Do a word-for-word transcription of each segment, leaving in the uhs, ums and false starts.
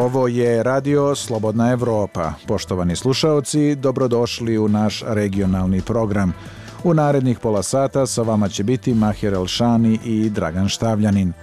Ovo je Radio Slobodna Evropa. Poštovani slušaoci, dobrodošli u naš regionalni program. U narednih pola sata sa vama će biti Mahir Elšani i Dragan Štavljanin.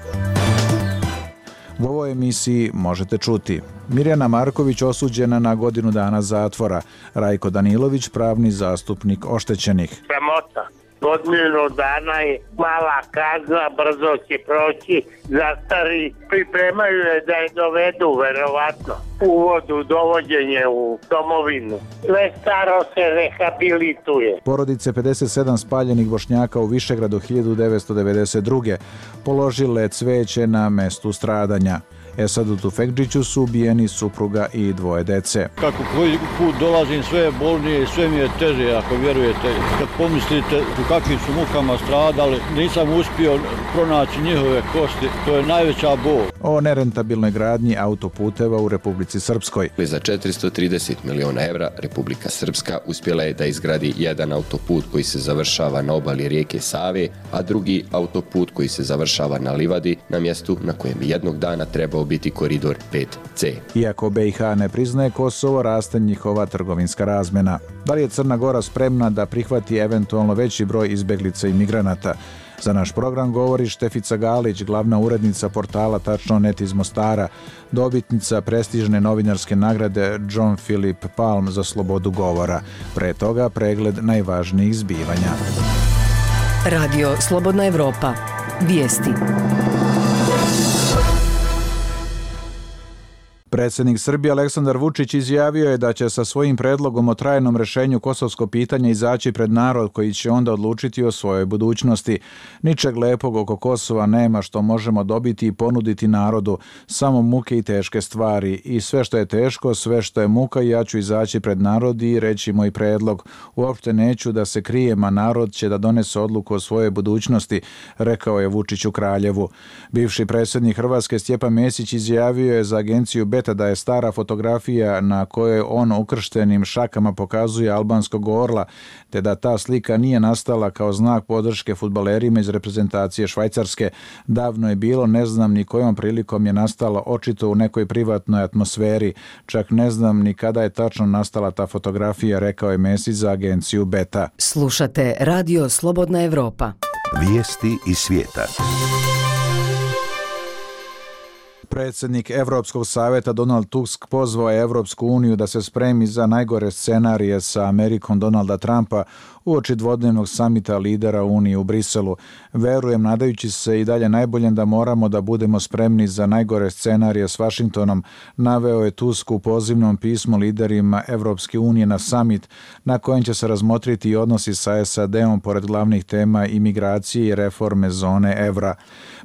U ovoj emisiji možete čuti: Mirjana Marković osuđena na godinu dana zatvora, Rajko Danilović pravni zastupnik oštećenih. Sramota. Godinu dana je mala kazna, brzo će proći, zastari, pripremaju je da je dovedu, verovatno, uvodu, dovođenje u domovinu. Sve staro se rehabilituje. Porodice pedeset sedam spaljenih Bošnjaka u Višegradu hiljadu devetsto devedeset druge položile cveće na mestu stradanja. Esadu Tufekdžiću su ubijeni supruga i dvoje dece. Kako koji put dolazim, sve je bolnije i sve mi je teže, ako vjerujete. Kad pomislite u kakvim su mukama stradali, nisam uspio pronaći njihove kosti, to je najveća bol. O nerentabilnoj gradnji autoputeva u Republici Srpskoj. Za četiristo trideset miliona evra Republika Srpska uspjela je da izgradi jedan autoput koji se završava na obali rijeke Save, a drugi autoput koji se završava na livadi, na mjestu na kojem jednog dana trebao biti koridor pet ce. Iako be i ha ne priznaje Kosovo, raste njihova trgovinska razmjena. Da li je Crna Gora spremna da prihvati eventualno veći broj izbeglica i migranata? Za naš program govori Štefica Galić, glavna urednica portala Tačno net iz Mostara, dobitnica prestižne novinarske nagrade John Philip Palm za slobodu govora. Pre toga pregled najvažnijih zbivanja. Radio Slobodna Evropa. Vijesti. Predsjednik Srbije Aleksandar Vučić izjavio je da će sa svojim predlogom o trajnom rješenju kosovskog pitanja izaći pred narod koji će onda odlučiti o svojoj budućnosti. Ničeg lepog oko Kosova nema što možemo dobiti i ponuditi narodu, samo muke i teške stvari. I sve što je teško, sve što je muka, ja ću izaći pred narod i reći moj predlog. Uopšte neću da se krijem, a narod će da donese odluku o svojoj budućnosti, rekao je Vučić u Kraljevu. Bivši predsjednik Hrvatske Stjepan Mesić izjavio je za agenciju Beta da je stara fotografija na kojoj on ukrštenim šakama pokazuje albanskog orla, te da ta slika nije nastala kao znak podrške fudbalerima iz reprezentacije Švajcarske. Davno je bilo, ne znam ni kojom prilikom je nastala, očito u nekoj privatnoj atmosferi. Čak ne znam ni kada je tačno nastala ta fotografija, rekao je Mesić za agenciju Beta. Slušate Radio Slobodna Evropa. Vijesti iz svijeta. Predsjednik Evropskog savjeta Donald Tusk pozvao je Evropsku uniju da se spremi za najgore scenarije sa Amerikom Donalda Trumpa uoči dvodnevnog samita lidera Unije u Briselu. Verujem, nadajući se i dalje najboljem, da moramo da budemo spremni za najgore scenarije s Vašingtonom, naveo je Tusk u pozivnom pismu liderima Evropske unije na samit na kojem će se razmotriti i odnosi sa es a de-om pored glavnih tema imigracije i reforme zone evra.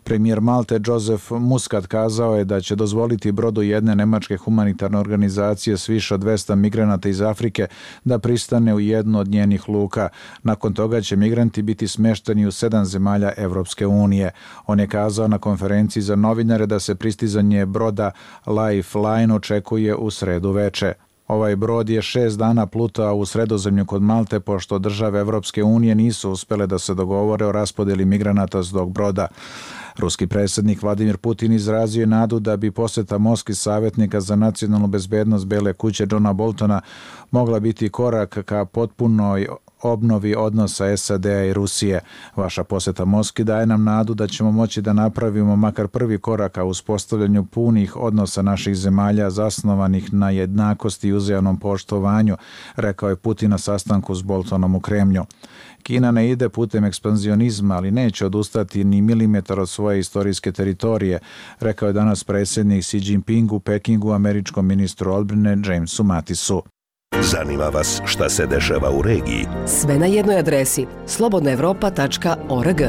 Premijer Malte Joseph Muscat kazao je da će dozvoliti brodu jedne nemačke humanitarne organizacije s više od dvesta migranata iz Afrike da pristane u jednu od njenih luka. Nakon toga će migranti biti smešteni u sedam zemalja Evropske unije. On je kazao na konferenciji za novinare da se pristizanje broda Lifeline očekuje u sredu veče. Ovaj brod je šest dana plutao u Sredozemlju kod Malte, pošto države Evropske unije nisu uspjele da se dogovore o raspodjeli migranata s tog broda. Ruski predsjednik Vladimir Putin izrazio je nadu da bi posjeta Moskvi savjetnika za nacionalnu bezbednost Bele kuće Johna Boltona mogla biti korak ka potpunoj obnovi odnosa es a de-a i Rusije. Vaša posjeta Moskvi daje nam nadu da ćemo moći da napravimo makar prvi korak ka uspostavljanju punih odnosa naših zemalja zasnovanih na jednakosti i uzajamnom poštovanju, rekao je Putin na sastanku s Boltonom u Kremlju. Kina ne ide putem ekspanzionizma, ali neće odustati ni milimetar od svoje istorijske teritorije, rekao je danas predsjednik Xi Jinping u Pekingu američkom ministru odbrane Jamesu Mattisu. Zanima vas šta se dešava u regiji? Sve na jednoj adresi slobodna evropa tačka org.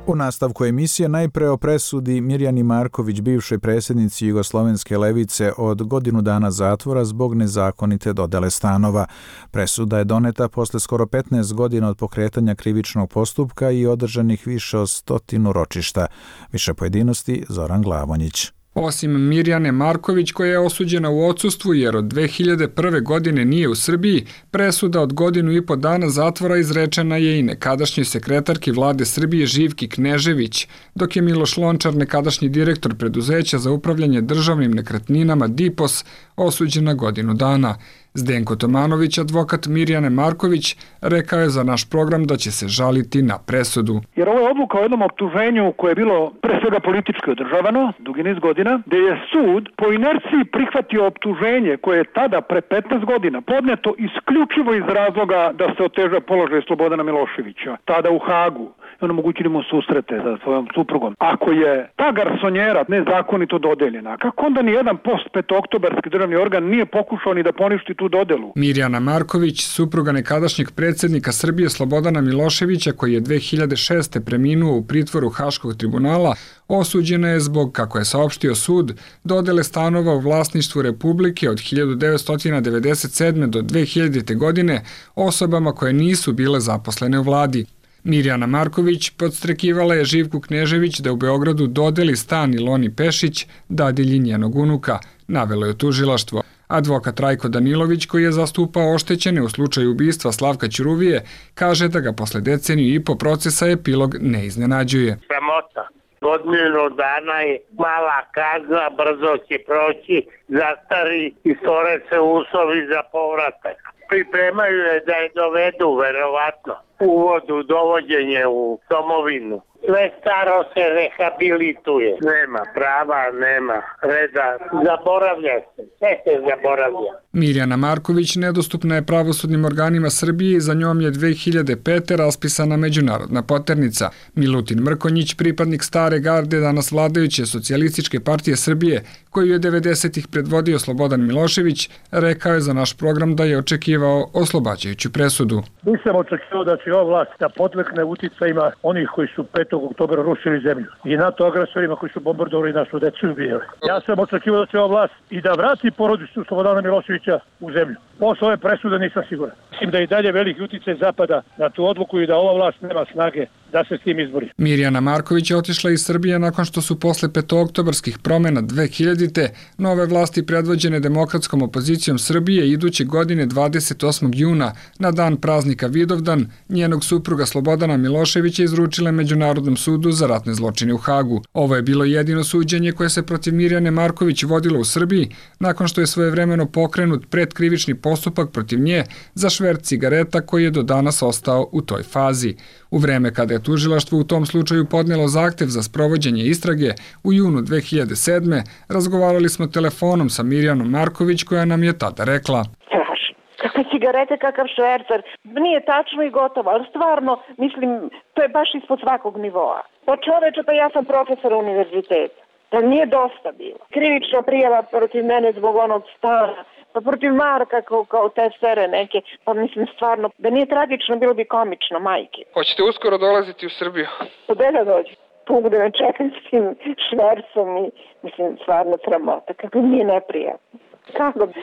U nastavku emisije najpre o presudi Mirjani Marković, bivšoj predsjednici Jugoslovenske levice, od godinu dana zatvora zbog nezakonite dodele stanova. Presuda je doneta posle skoro petnaest godina od pokretanja krivičnog postupka i održanih više od stotinu ročišta. Više pojedinosti Zoran Glavonjić. Osim Mirjane Marković, koja je osuđena u odsustvu jer od dve hiljade prve. godine nije u Srbiji, presuda od godinu i po dana zatvora izrečena je i nekadašnjoj sekretarki vlade Srbije Živki Knežević, dok je Miloš Lončar, nekadašnji direktor preduzeća za upravljanje državnim nekretninama D I P O S, osuđen na godinu dana. Zdenko Tomanović, advokat Mirjane Marković, rekao je za naš program da će se žaliti na presudu. Jer ovo je odluka o jednom optuženju koje je bilo pre svega politički održavano, dugi niz godina, gde je sud po inerciji prihvatio optuženje koje je tada pre petnaest godina podneto isključivo iz razloga da se oteža položaj Slobodana Miloševića, tada u Hagu. I onemogućili mu susrete sa svojom suprugom. Ako je ta garsonjera nezakonito dodeljena, kako onda ni jedan post petooktobarski državni organ nije pokušao ni da poništi tu dodelu? Mirjana Marković, supruga nekadašnjeg predsjednika Srbije Slobodana Miloševića, koji je dve hiljade šeste. preminuo u pritvoru Haškog tribunala, osuđena je zbog, kako je saopštio sud, dodele stanova u vlasništvu Republike od hiljadu devetsto devedeset sedme. do dve hiljadite. godine osobama koje nisu bile zaposlene u vladi. Mirjana Marković podstrekivala je Živku Knežević da u Beogradu dodeli stan Iloni Pešić, dadilji njenog unuka, navelo je tužilaštvo. Advokat Rajko Danilović, koji je zastupao oštećene u slučaju ubistva Slavka Ćuruvije, kaže da ga posle deceniju i po procesa epilog ne iznenađuje. Sramota. Godinu dana je mala kazna, brzo će proći, zastari i stvore se uslovi za povratak. Pripremaju je da je dovedu, verovatno, uvod u dovođenje u domovinu. Sve staro se rehabilituje. Nema prava, nema reda. Zaboravlja se. Sve se zaboravlja. Mirjana Marković nedostupna je pravosudnim organima Srbije i za njom je dve hiljade pete. raspisana međunarodna poternica. Milutin Mrkonjić, pripadnik stare garde danas vladajuće Socijalističke partije Srbije, koju je devedesetih. predvodio Slobodan Milošević, rekao je za naš program da je očekivao oslobađajuću presudu. Nisam očekivao da će ova vlast da podlekne uticajima onih koji su petog oktobra rušili zemlju i NATO agresorima koji su bombardovali našu decu i ubijali. Ja sam očekivao da će ova vlast i da vrati porodicu Slobodana Miloševića u zemlju. Posle ove presude nisam siguran. Mislim da i dalje veliki uticaj zapada na tu odluku i da ova vlast nema snage da se s tim izbori. Mirjana Marković je otišla iz Srbije nakon što su posle petooktobarskih promjena dve hiljadite. nove vlasti predvođene demokratskom opozicijom Srbije iduće godine dvadeset osmog juna na dan praznika Vidovdan njenog supruga Slobodana Miloševića izručile Međunarodnom sudu za ratne zločine u Hagu. Ovo je bilo jedino suđenje koje se protiv Mirjane Marković vodilo u Srbiji nakon što je svojevremeno pokrenut predkrivični postupak protiv nje za šverc cigareta koji je do danas ostao u toj fazi. U vreme kada je tužilaštvo u tom slučaju podnelo zahtev za sprovođenje istrage u junu dve hiljade sedme. razgovarali smo telefonom sa Mirjanom Marković koja nam je tada rekla: Strašno. Kakve cigarete, kakav švercer. Nije tačno i gotovo, ali stvarno, mislim, to je baš ispod svakog nivoa. Pa čoveče, pa ja sam profesor univerziteta. Da nije dosta bilo. Krivična prijava protiv mene zbog onog stana, pa protiv Marka kao, kao te sere neke, pa mislim stvarno, da nije tragično, bilo bi komično, majke. Hoćete uskoro dolaziti u Srbiju? Gde da dođe? Tu gde me čekam s tim švercom i, mislim, stvarno sramota, kako mi je neprijatno. Kako bi...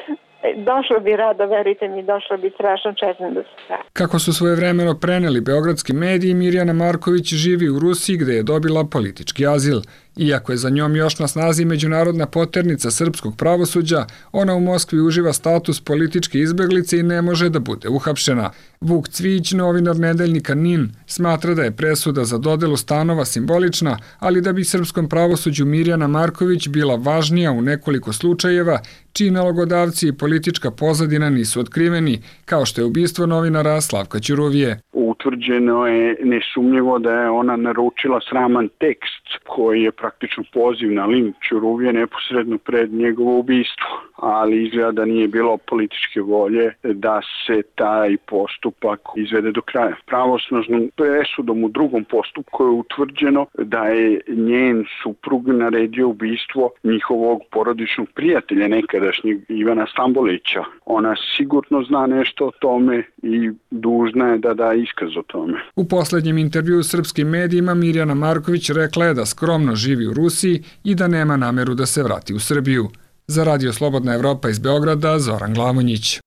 Došlo bi rado, verite mi, došlo bi strašno četno da se sada. Kako su svojevremeno preneli beogradski mediji, Mirjana Marković živi u Rusiji gde je dobila politički azil. Iako je za njom još na snazi međunarodna poternica srpskog pravosuđa, ona u Moskvi uživa status političke izbeglice i ne može da bude uhapšena. Vuk Cvijić, novinar nedeljnika NIN, smatra da je presuda za dodelu stanova simbolična, ali da bi srpskom pravosuđu Mirjana Marković bila važnija u nekoliko slučajeva, čiji nalogodavci i politička pozadina nisu otkriveni, kao što je ubistvo novinara Slavka Ćuruvije. Utvrđeno je nesumnjivo da je ona naručila sraman tekst koji je praktično poziv na linč Ćuruvije neposredno pred njegovo ubistvo, ali izgleda da nije bilo političke volje da se taj postupak izvede do kraja. Pravosnažnom presudom u drugom postupku je utvrđeno da je njen suprug naredio ubistvo njihovog porodičnog prijatelja, nekadašnjeg Ivana Stambolića. Ona sigurno zna nešto o tome i dužna je da da iskaz o tome. U posljednjem intervjuu u srpskim medijima Mirjana Marković rekla je da skromno živi u Rusiji i da nema nameru da se vrati u Srbiju. Za Radio Slobodna Evropa iz Beograda, Zoran Glavonjić.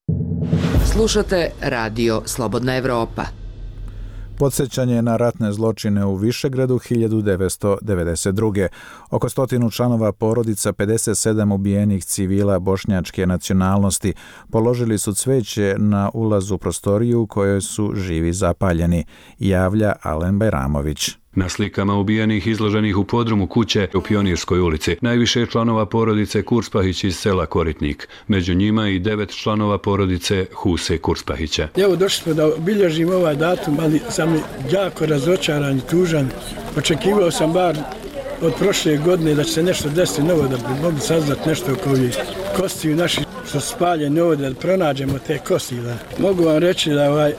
Slušate Radio Slobodna Evropa. Podsjećanje na ratne zločine u Višegradu hiljadu devetsto devedeset druge. Oko stotinu članova porodica pedeset sedam ubijenih civila bošnjačke nacionalnosti položili su cveće na ulazu u prostoriju u kojoj su živi zapaljeni, javlja Alen Bajramović. Na slikama ubijenih izloženih u podrumu kuće u Pionirskoj ulici najviše je članova porodice Kurspahić iz sela Koritnik. Među njima i devet članova porodice Huse Kurspahića. Evo došli smo da obilježimo ovaj datum, ali sam jako razočaran i tužan. Očekivao sam bar od prošle godine da će se nešto desiti novo, da bi mogli saznati nešto oko ovih kostiju naših što su spaljeni ovdje, da pronađemo te kosti. Da. Mogu vam reći da ovaj,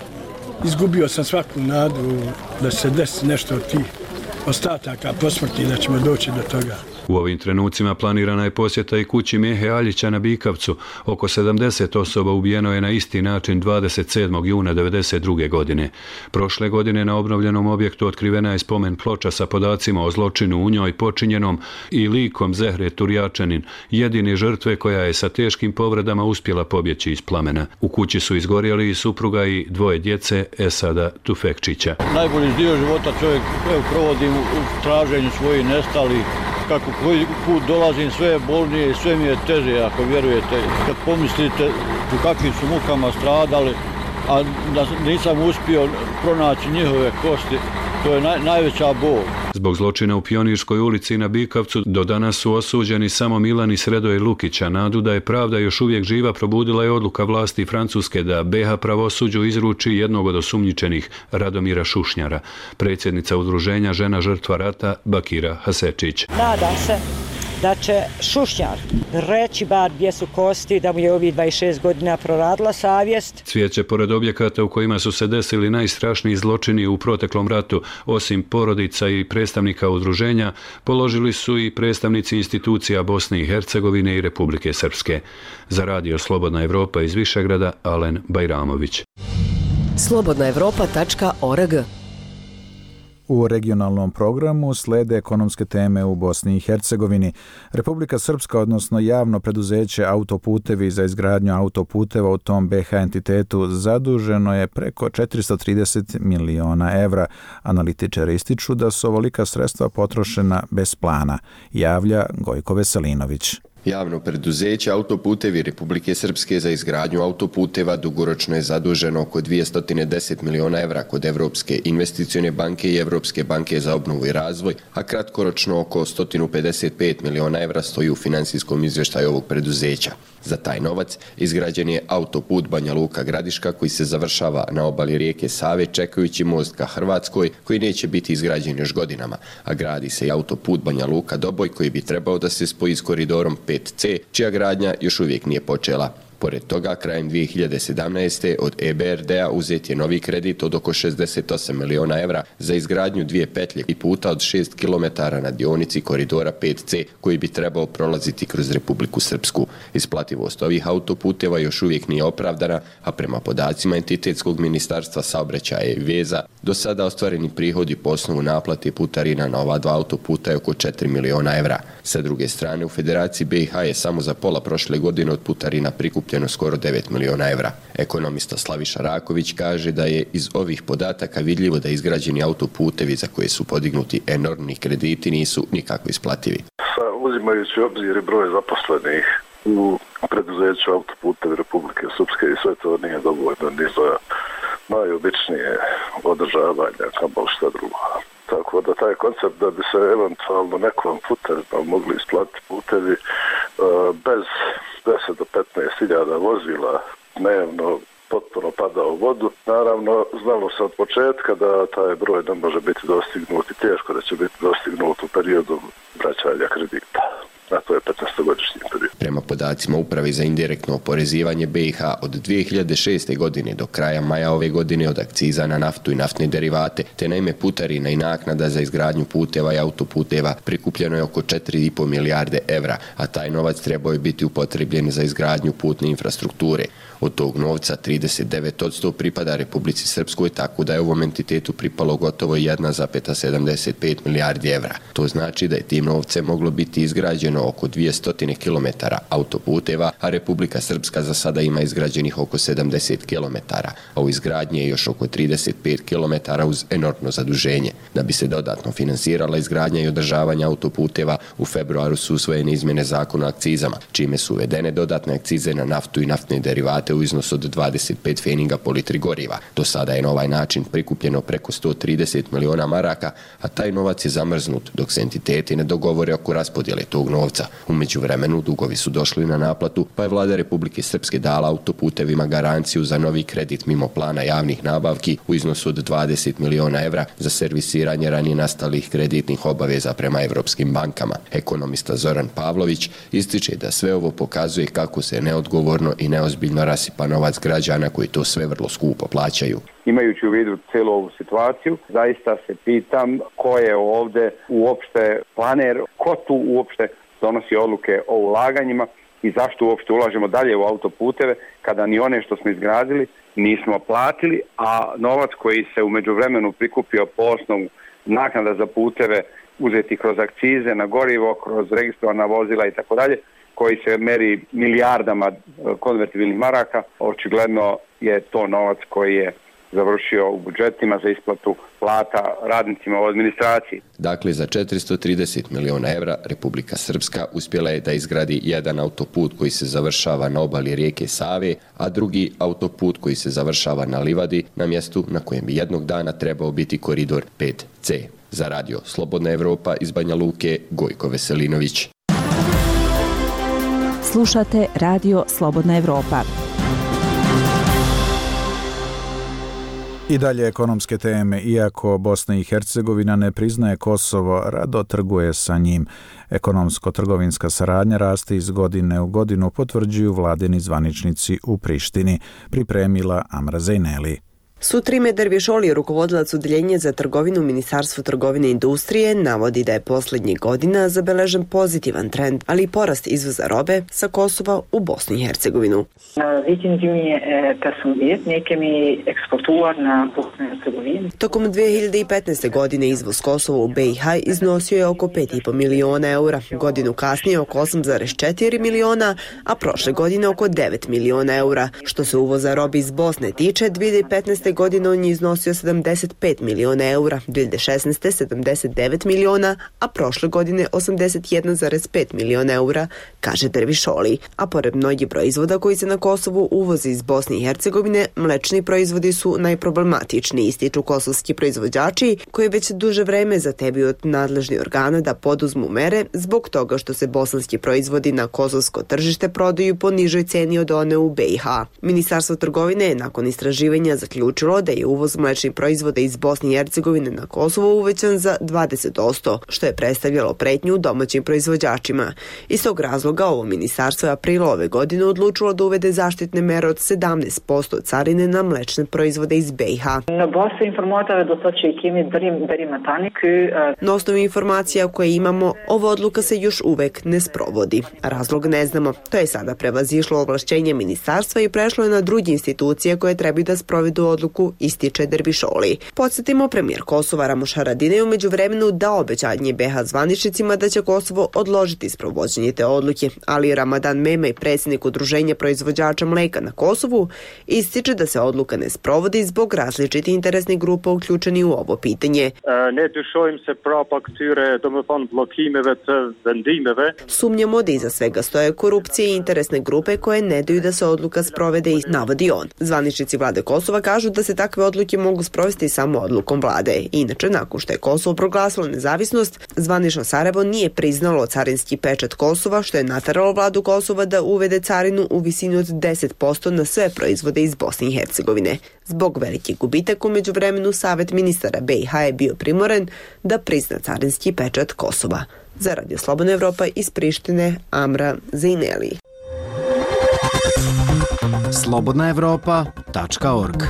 izgubio sam svaku nadu da se desi nešto od tih ostataka posmrti, da ćemo doći do toga. U ovim trenucima planirana je posjeta i kući Mijehe Aljića na Bikavcu. Oko sedamdeset osoba ubijeno je na isti način dvadeset sedmog juna devedeset druge. godine. Prošle godine na obnovljenom objektu otkrivena je spomen ploča sa podacima o zločinu u njoj počinjenom i likom Zehre Turjačanin, jedine žrtve koja je sa teškim povredama uspjela pobjeći iz plamena. U kući su izgorjeli i supruga i dvoje djece Esada Tufekčića. Najbolji dio života čovjek provodi u traženju svojih nestalih. Kako koji put dolazim, sve je bolnije i sve mi je teže, ako vjerujete. Kad pomislite u kakvim su mukama stradali, a da nisam uspio pronaći njihove kosti, to je naj, najveća bol. Zbog zločina u Pionirskoj ulici i na Bikavcu do danas su osuđeni samo Milan i Sredoje Lukića. Nadu da je pravda još uvijek živa probudila je odluka vlasti Francuske da be ha pravosuđu izruči jednog od osumnjičenih, Radomira Šušnjara. Predsjednica udruženja Žena žrtva rata Bakira Hasečić. Nadam se da će Šušnjar reći bar gdje su kosti, da mu je ovih dvadeset šest godina proradila savjest. Cvijeće pored objekata u kojima su se desili najstrašniji zločini u proteklom ratu, osim porodica i predstavnika udruženja, položili su i predstavnici institucija Bosne i Hercegovine i Republike Srpske. Za radio Slobodna Evropa iz Višegrada, Alen Bajramović. slobodna evropa tačka org. U regionalnom programu slede ekonomske teme u Bosni i Hercegovini. Republika Srpska, odnosno javno preduzeće Autoputevi za izgradnju autoputeva u tom be ha entitetu, zaduženo je preko četiristo trideset miliona evra. Analitičari ističu da su ovolika sredstva potrošena bez plana, javlja Gojko Veselinović. Javno preduzeće Autoputevi Republike Srpske za izgradnju autoputeva dugoročno je zaduženo oko dvjesto deset miliona evra kod Evropske investicione banke i Evropske banke za obnovu i razvoj, a kratkoročno oko sto pedeset pet miliona evra stoji u finansijskom izvještaju ovog preduzeća. Za taj novac izgrađen je autoput Banja Luka Gradiška koji se završava na obali rijeke Save čekajući most ka Hrvatskoj koji neće biti izgrađen još godinama, a gradi se i autoput Banja Luka Doboj koji bi trebao da se spoji s koridorom pet ce, čija gradnja još uvijek nije počela. Pored toga, krajem dvije hiljade sedamnaeste. od e be er de a uzet je novi kredit od oko šezdeset osam miliona evra za izgradnju dvije petlje i puta od šest kilometara na dionici koridora pet ce koji bi trebao prolaziti kroz Republiku Srpsku. Isplativost ovih autoputeva još uvijek nije opravdana, a prema podacima entitetskog ministarstva saobraćaja i veza, do sada ostvareni prihodi po osnovu naplate putarina na ova dva autoputa je oko četiri miliona evra. Sa druge strane, u Federaciji be ha je samo za pola prošle godine od putarina prikupljeno skoro devet miliona evra. Ekonomista Slaviša Raković kaže da je iz ovih podataka vidljivo da izgrađeni autoputevi za koje su podignuti enormni krediti nisu nikako isplativi. Uzimajući obzir broj zaposlenih u preduzeću Autoputevi Republike Srpske i sve to nije dovoljno ni za najobičnije održavanje, kamoli šta drugo. Tako da taj koncept da bi se eventualno nekom puterima mogli isplatiti putevi bez deset do petnaest hiljada vozila dnevno potpuno pada u vodu. Naravno, znalo se od početka da taj broj ne može biti dostignut i teško da će biti dostignut u periodu vraćanja kredita. A to je petnaestogodišnji period. Prema podacima Uprave za indirektno oporezivanje be ha od dvije hiljade šeste. godine do kraja maja ove godine od akciza na naftu i naftne derivate, te na ime putarina i naknada za izgradnju puteva i autoputeva prikupljeno je oko četiri i po milijarde evra, a taj novac trebao je biti upotrebljen za izgradnju putne infrastrukture. Od tog novca trideset devet posto pripada Republici Srpskoj, tako da je ovom entitetu pripalo gotovo jedna zarez sedamdeset pet milijardi evra. To znači da je tim novcem moglo biti izgrađeno izgrađeno oko dvjesto kilometara autoputeva, a Republika Srpska za sada ima izgrađenih oko sedamdeset kilometara, a u izgradnji je još oko trideset pet kilometara uz enormno zaduženje. Da bi se dodatno finansirala izgradnja i održavanje autoputeva, u februaru su usvojene izmjene zakona o akcizama, čime su uvedene dodatne akcize na naftu i naftne derivate u iznosu od dvadeset pet pfeninga po litri goriva. Do sada je na ovaj način prikupljeno preko sto trideset miliona maraka, a taj novac je zamrznut dok se entiteti ne dogovore oko raspodjele tog novca. U međuvremenu dugovi su došli na naplatu, pa je vlada Republike Srpske dala autoputevima garanciju za novi kredit mimo plana javnih nabavki u iznosu od dvadeset miliona evra za servisiranje ranije nastalih kreditnih obaveza prema evropskim bankama. Ekonomista Zoran Pavlović ističe da sve ovo pokazuje kako se neodgovorno i neozbiljno rasipa novac građana koji to sve vrlo skupo plaćaju. Imajući u vidu cijelu ovu situaciju, zaista se pitam ko je ovdje uopšte planer, ko tu uopšte donosi odluke o ulaganjima i zašto uopšte ulažemo dalje u autoputeve kada ni one što smo izgradili nismo platili, a novac koji se u međuvremenu prikupio po osnovu naknada za puteve uzeti kroz akcize na gorivo, kroz registrovana vozila i tako dalje, koji se meri milijardama konvertibilnih maraka, očigledno je to novac koji je završio u budžetima za isplatu plata radnicima u administraciji. Dakle, za četiristo trideset miliona evra Republika Srpska uspjela je da izgradi jedan autoput koji se završava na obali rijeke Save, a drugi autoput koji se završava na livadi, na mjestu na kojem bi jednog dana trebao biti koridor pet ce. Za radio Slobodna Evropa iz Banja Luke, Gojko Veselinović. Slušate radio Slobodna Evropa. I dalje ekonomske teme. Iako Bosna i Hercegovina ne priznaje Kosovo, rado trguje sa njim. Ekonomsko-trgovinska saradnja raste iz godine u godinu, potvrđuju vladini zvaničnici u Prištini, pripremila Amra Zejneli. Sutrime Dervišoli, rukovodilac Udjeljenja za trgovinu Ministarstvu trgovine i industrije, navodi da je posljednjih godina zabeležen pozitivan trend, ali i porast izvoza robe sa Kosova u Bosnu i Hercegovinu. Tokom dvije hiljade petnaeste. godine izvoz Kosova u be i ha iznosio je oko pet i po miliona eura, godinu kasnije oko osam zarez četiri miliona, a prošle godine oko devet miliona eura. Što se uvoza robe iz Bosne tiče, dvije hiljade petnaeste. godine on je iznosio sedamdeset pet miliona eura, dvije hiljade šesnaeste. sedamdeset devet miliona, a prošle godine osamdeset jedan zarez pet miliona eura, kaže Dervišoli. A pored mnogih proizvoda koji se na Kosovu uvozi iz Bosne i Hercegovine, mlečni proizvodi su najproblematičniji, ističu kosovski proizvođači koji već duže vreme zatebuju od nadležnih organa da poduzmu mere zbog toga što se bosanski proizvodi na kosovsko tržište prodaju po nižoj ceni od one u be i ha. Ministarstvo trgovine je nakon istraživanja zaključilo da je uvoz mlečnih proizvoda iz Bosne i Hercegovine na Kosovo uvećan za dvadeset posto, što je predstavljalo pretnju domaćim proizvođačima. Iz tog razloga ovo ministarstvo je aprila ove godine odlučilo da uvede zaštitne mere od sedamnaest posto carine na mlečne proizvode iz be i ha. Na osnovu informacija koje imamo, ova odluka se još uvek ne sprovodi. Razlog ne znamo. To je sada prevazišlo ovlašćenje ministarstva i prešlo je na druge institucije koje trebaju da sprovedu odluku, ističe Dervišoli. Podsjetimo, premijer Kosova Ramuš Haradinaj je u međuvremenu dao obećanje be ha zvaničnicima da će Kosovo odložiti sprovođenje te odluke, ali Ramadan Mema i predsjednik Udruženja proizvođača mleka na Kosovu ističe da se odluka ne sprovodi zbog različitih interesnih grupa uključeni u ovo pitanje. Ne dyshojmë se prapa këtyre, domethënë bllokimeve të vendimeve. Sumnjamo da iza svega stoje korupcije i interesne grupe koje ne daju da se odluka sprovede, i navodi on. Zvaničnici vlade Kosova kažu da se takve odluke mogu sprovesti samo odlukom vlade. Inače, nakon što je Kosovo proglasilo nezavisnost, zvanično Sarajevo nije priznalo carinski pečat Kosova, što je nateralo vladu Kosova da uvede carinu u visini od deset posto na sve proizvode iz Bosne i Hercegovine. Zbog velikih gubitaka u međuvremenu Savet ministara be i ha je bio primoren da prizna carinski pečat Kosova. Za radio Slobodna Evropa iz Prištine, Amra Zejneli. slobodna evropa tačka org.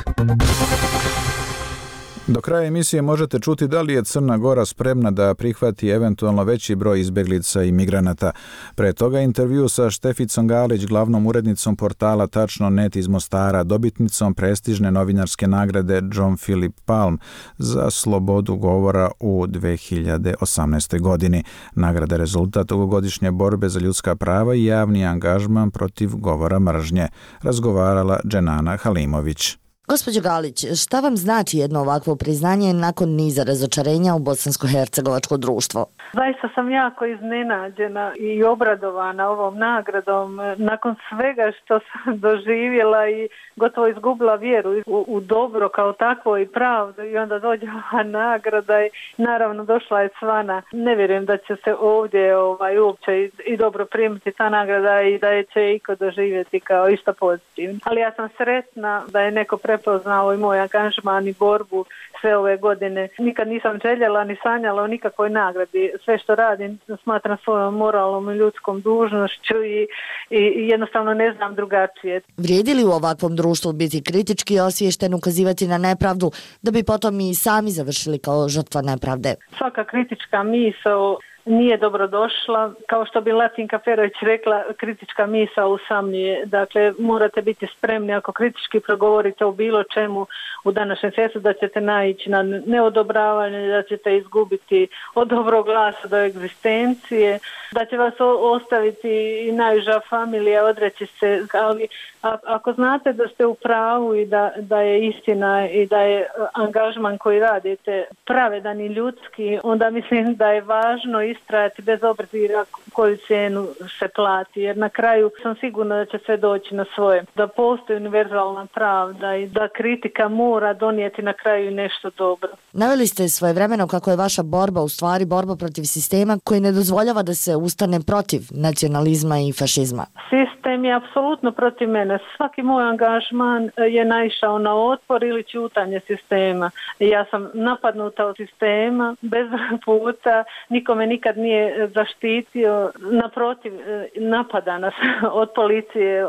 Do kraja emisije možete čuti da li je Crna Gora spremna da prihvati eventualno veći broj izbeglica i migranata. Pre toga intervju sa Šteficom Galić, glavnom urednicom portala tačno tačno net iz Mostara, dobitnicom prestižne novinarske nagrade John Philip Palm za slobodu govora u dve hiljade osamnaestoj. godini. Nagrada je rezultat dugogodišnje borbe za ljudska prava i javni angažman protiv govora mržnje, razgovarala Dženana Halimović. Gospođo Galić, šta vam znači jedno ovakvo priznanje nakon niza razočarenja u bosansko-hercegovačko društvo? Zaista sam jako iznenađena i obradovana ovom nagradom. Nakon svega što sam doživjela i gotovo izgubila vjeru u, u dobro kao takvo i pravdu, i onda dođe ova nagrada i naravno došla je Cvana. Ne vjerujem da će se ovdje ovaj, uopće i, i dobro primiti ta nagrada i da je će iko doživjeti kao išta pozitivno. Ali ja sam sretna da je neko prepoznao i moj angažman i borbu sve ove godine. Nikad nisam željela ni sanjala o nikakvoj nagradi. Sve što radim smatram svojom moralnom i ljudskom dužnošću i, i, i jednostavno ne znam drugačije. Vrijedi li u ovakvom društvu biti kritički osviješten, ukazivati na nepravdu, da bi potom i sami završili kao žrtva nepravde? Svaka kritička misao nije dobrodošla. Kao što bi Latinka Ferović rekla, kritička misao usamljuje. Dakle, morate biti spremni ako kritički progovorite o bilo čemu u današnjem svijetu, da ćete naići na neodobravanje, da ćete izgubiti od dobrog glasa do egzistencije, da će vas ostaviti i najuža familija, odreći se. Ali a, ako znate da ste u pravu i da, da je istina i da je angažman koji radite pravedan i ljudski, onda mislim da je važno istrajati bez obzira koju cijenu se plati, jer na kraju sam sigurna da će sve doći na svoje. Da postoji univerzalna pravda i da kritika mora donijeti na kraju nešto dobro. Naveli ste svojevremeno kako je vaša borba u stvari borba protiv sistema koji ne dozvoljava da se ustane protiv nacionalizma i fašizma. Sistem je apsolutno protiv mene. Svaki moj angažman je naišao na otpor ili ćutanje sistema. Ja sam napadnuta od sistema bez puta, nikome nikad nije zaštitio, naprotiv napada nas od policije,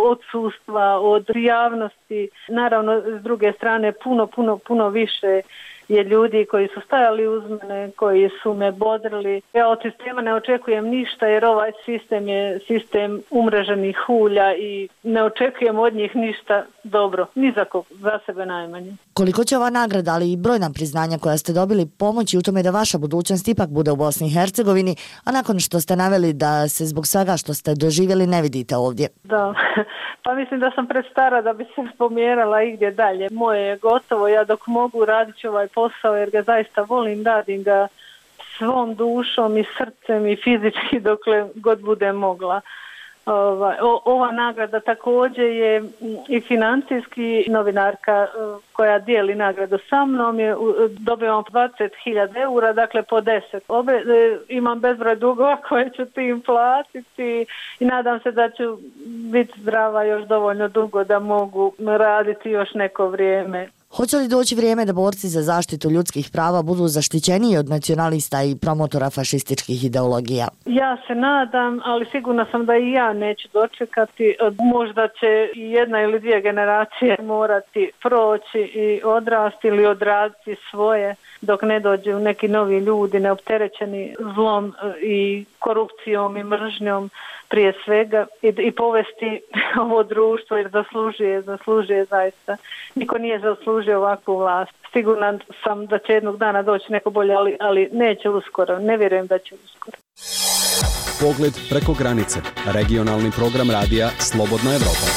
od sudstva, od javnosti. Naravno, s druge strane, puno, puno, puno više je ljudi koji su stajali uz mene, koji su me bodrili. Ja od sistema ne očekujem ništa jer ovaj sistem je sistem umreženih hulja i ne očekujem od njih ništa dobro, ni za kog, za sebe najmanje. Koliko će ova nagrada, ali i brojna priznanja koja ste dobili pomoći u tome da vaša budućnost ipak bude u Bosni i Hercegovini, a nakon što ste naveli da se zbog svega što ste doživjeli ne vidite ovdje? Da, pa mislim da sam prestara da bi se pomjerala igdje dalje. Moje je gotovo, ja dok mogu radit ću ovaj posao jer ga zaista volim, radim ga svom dušom i srcem i fizički dokle god budem mogla. Ova, ova nagrada također je i financijski. Novinarka koja dijeli nagradu sa mnom je dobivam dvadeset hiljada eura, dakle po deset. Obe, imam bezbroj dugova koje ću tim platiti i nadam se da ću biti zdrava još dovoljno dugo da mogu raditi još neko vrijeme. Hoće li doći vrijeme da borci za zaštitu ljudskih prava budu zaštićeniji od nacionalista i promotora fašističkih ideologija? Ja se nadam, ali sigurna sam da i ja neću dočekati. Možda će i jedna ili dvije generacije morati proći i odrasti ili odraditi svoje dok ne dođu neki novi ljudi neopterećeni zlom i korupcijom i mržnjom prije svega i, i povesti ovo društvo jer zaslužuje, zaslužuje zaista. Niko nije zaslužio ovakvu vlast. Sigurna sam da će jednog dana doći neko bolje, ali, ali neće uskoro. Ne vjerujem da će uskoro. Pogled preko granice. Regionalni program radija Slobodna Evropa.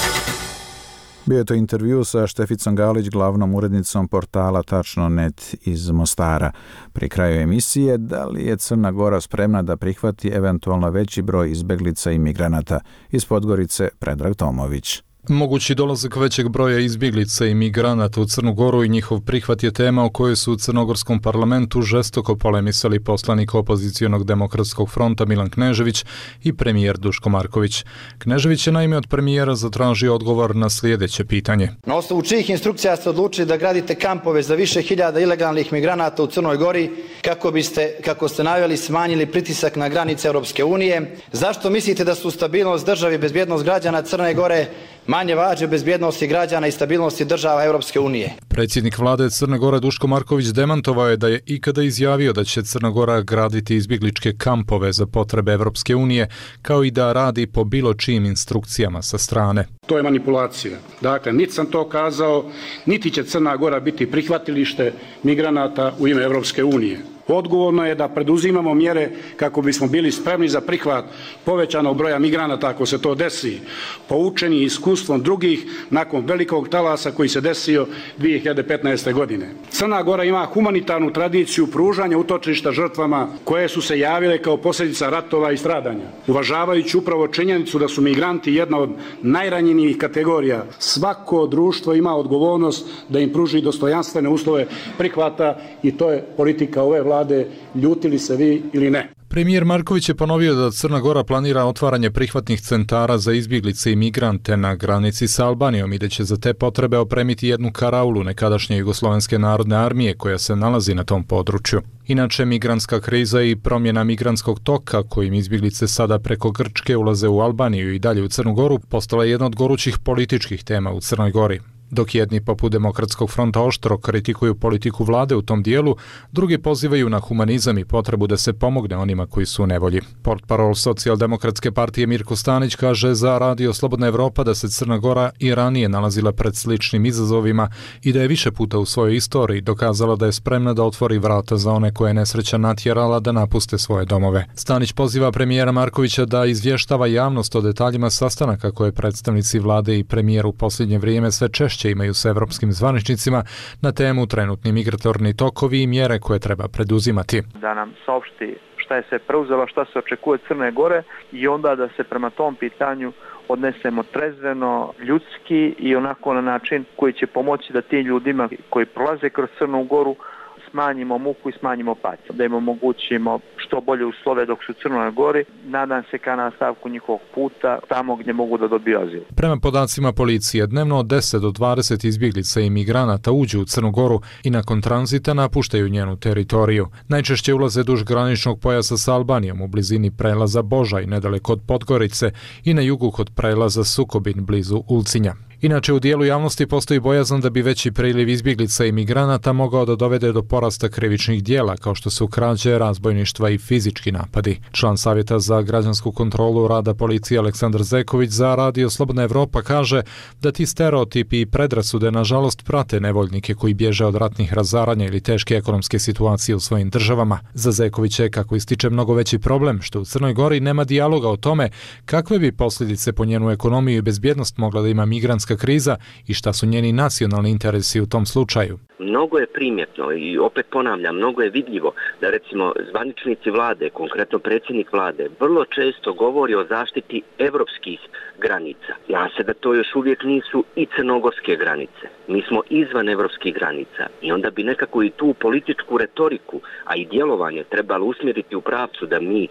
Bio je to intervju sa Šteficom Galić, glavnom urednicom portala tačno net iz Mostara. Pri kraju emisije, da li je Crna Gora spremna da prihvati eventualno veći broj izbeglica i migranata? Iz Podgorice, Predrag Tomović. Mogući dolazak većeg broja izbjeglica i migranata u Crnu Goru i njihov prihvat je tema o kojoj su u crnogorskom parlamentu žestoko polemisali poslanik opozicionog demokratskog fronta Milan Knežević i premijer Duško Marković. Knežević je naime od premijera zatražio odgovor na sljedeće pitanje. Na osnovu čijih instrukcija ste odlučili da gradite kampove za više hiljada ilegalnih migranata u Crnoj Gori kako biste, kako ste naveli, smanjili pritisak na granice Europske unije? Zašto mislite da su stabilnost države i bezbjednost građana Crne Gore manje važne bezbjednosti građana i stabilnosti država Europske unije. Predsjednik vlade Crne Gore Duško Marković demantovao je da je ikada izjavio da će Crna Gora graditi izbjegličke kampove za potrebe Europske unije, kao i da radi po bilo čijim instrukcijama sa strane. To je manipulacija. Dakle, niti sam to kazao, niti će Crna Gora biti prihvatilište migranata u ime Europske unije. Odgovorno je da preduzimamo mjere kako bismo bili spremni za prihvat povećanog broja migranata ako se to desi, poučeni iskustvom drugih nakon velikog talasa koji se desio dvije hiljade petnaeste. godine. Crna Gora ima humanitarnu tradiciju pružanja utočišta žrtvama koje su se javile kao posljedica ratova i stradanja. Uvažavajući upravo činjenicu da su migranti jedna od najranjenijih kategorija, svako društvo ima odgovornost da im pruži dostojanstvene uslove prihvata i to je politika ove vlade. Vlade, ljutili se vi ili ne. Premijer Marković je ponovio da Crna Gora planira otvaranje prihvatnih centara za izbjeglice i migrante na granici sa Albanijom i da će za te potrebe opremiti jednu karaulu nekadašnje Jugoslovenske narodne armije koja se nalazi na tom području. Inače, migrantska kriza i promjena migrantskog toka kojim izbjeglice sada preko Grčke ulaze u Albaniju i dalje u Crnu Goru postala je jedna od gorućih političkih tema u Crnoj Gori. Dok jedni poput Demokratskog fronta oštro kritikuju politiku vlade u tom dijelu, drugi pozivaju na humanizam i potrebu da se pomogne onima koji su u nevolji. Portparol Socijaldemokratske partije Mirko Stanić kaže za Radio Slobodna Evropa da se Crna Gora i ranije nalazila pred sličnim izazovima i da je više puta u svojoj istoriji dokazala da je spremna da otvori vrata za one koje je nesreća natjerala da napuste svoje domove. Stanić poziva premijera Markovića da izvještava javnost o detaljima sastanaka koje predstavnici vlade i premijer u posljednje vrijeme sve češće imaju sa evropskim zvaničnicima na temu trenutni migratorni tokovi i mjere koje treba preduzimati. Da nam saopšti šta je se preuzelo, šta se očekuje Crne Gore i onda da se prema tom pitanju odnesemo trezveno, ljudski i onako na način koji će pomoći da tim ljudima koji prolaze kroz Crnu Goru smanjimo muku i smanjimo patnju, da im omogućimo što bolje uslove dok su u Crnoj Gori, nadam se ka nastavku njihovog puta tamo gdje mogu da dobiju azil. Prema podacima policije, dnevno od deset do dvadeset izbjeglica i migranata uđu u Crnu Goru i nakon tranzita napuštaju njenu teritoriju. Najčešće ulaze duž graničnog pojasa sa Albanijom u blizini prelaza Božaj, nedaleko od Podgorice i na jugu kod prelaza Sukobin blizu Ulcinja. Inače, u dijelu javnosti postoji bojazan da bi veći priliv izbjeglica i migranata mogao da dovede do porasta krivičnih dijela, kao što su krađe, razbojništva i fizički napadi. Član Savjeta za građansku kontrolu rada policije Aleksandar Zeković za Radio Slobodna Evropa kaže da ti stereotipi i predrasude nažalost prate nevoljnike koji bježe od ratnih razaranja ili teške ekonomske situacije u svojim državama. Za Zekovića je, kako ističe, mnogo veći problem što u Crnoj Gori nema dijaloga o tome kakve bi posljedice po njenu ekonomiju i bezbjednost mogla da ima migrantska kriza i šta su njeni nacionalni interesi u tom slučaju. Mnogo je primjetno i opet ponavljam, mnogo je vidljivo da recimo zvaničnici vlade, konkretno predsjednik vlade, vrlo često govori o zaštiti evropskih granica. Ja se da to još uvijek nisu i crnogorske granice. Mi smo izvan evropskih granica i onda bi nekako i tu političku retoriku, a i djelovanje trebalo usmjeriti u pravcu da mi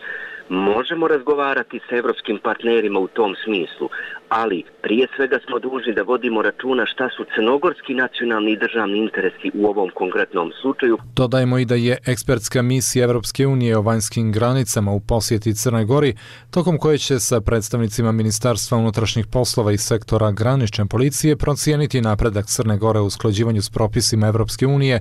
možemo razgovarati sa evropskim partnerima u tom smislu, ali prije svega smo dužni da vodimo računa šta su crnogorski nacionalni i državni interesi u ovom konkretnom slučaju. Dodajmo i da je ekspertska misija Evropske unije o vanjskim granicama u posjeti Crnoj Gori, tokom koje će sa predstavnicima Ministarstva unutrašnjih poslova i sektora granične policije procijeniti napredak Crne Gore u usklađivanju s propisima Evropske unije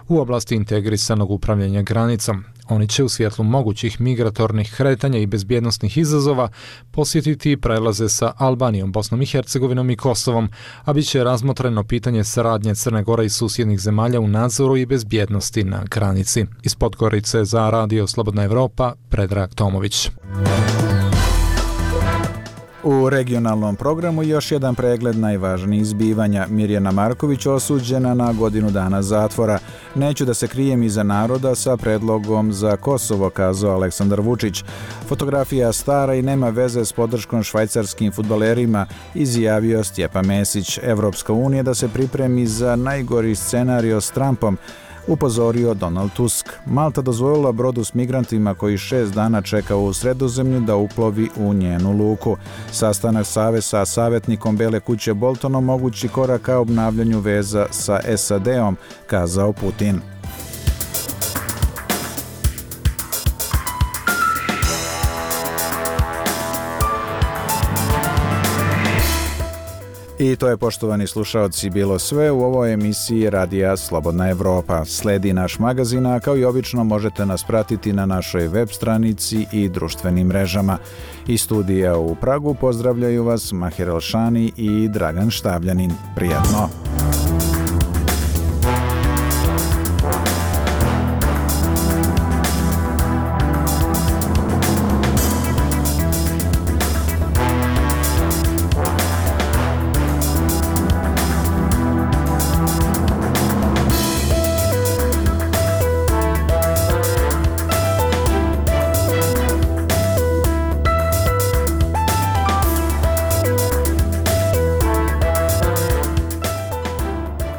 u oblasti integrisanog upravljanja granicom. Oni će u svjetlu mogućih migratornih kretanja i bezbjednosnih izazova posjetiti prelaze sa Albanijom, Bosnom i Hercegovinom i Kosovom, a bit će razmotreno pitanje saradnje Crne Gore i susjednih zemalja u nadzoru i bezbjednosti na granici. Iz Podgorice za Radio Slobodna Evropa, Predrag Tomović. U regionalnom programu još jedan pregled najvažnijih zbivanja. Mirjana Marković osuđena na godinu dana zatvora. Neću da se krijem iza naroda sa predlogom za Kosovo, kazao Aleksandar Vučić. Fotografija stara i nema veze s podrškom švajcarskim fudbalerima, izjavio Stjepan Mesić. Evropska unija da se pripremi za najgori scenario s Trumpom, upozorio Donald Tusk. Malta dozvolila brodu s migrantima koji šest dana čeka u Sredozemlju da uplovi u njenu luku. Sastanak Save sa savjetnikom Bele kuće Boltonom mogući korak ka obnavljanju veza sa S A D-om, kazao Putin. I to je, poštovani slušaoci, bilo sve u ovoj emisiji Radija Slobodna Evropa. Sledi naš magazin, a kao i obično možete nas pratiti na našoj web stranici i društvenim mrežama. Iz studija u Pragu pozdravljaju vas Mahir Elšani i Dragan Štavljanin. Prijatno!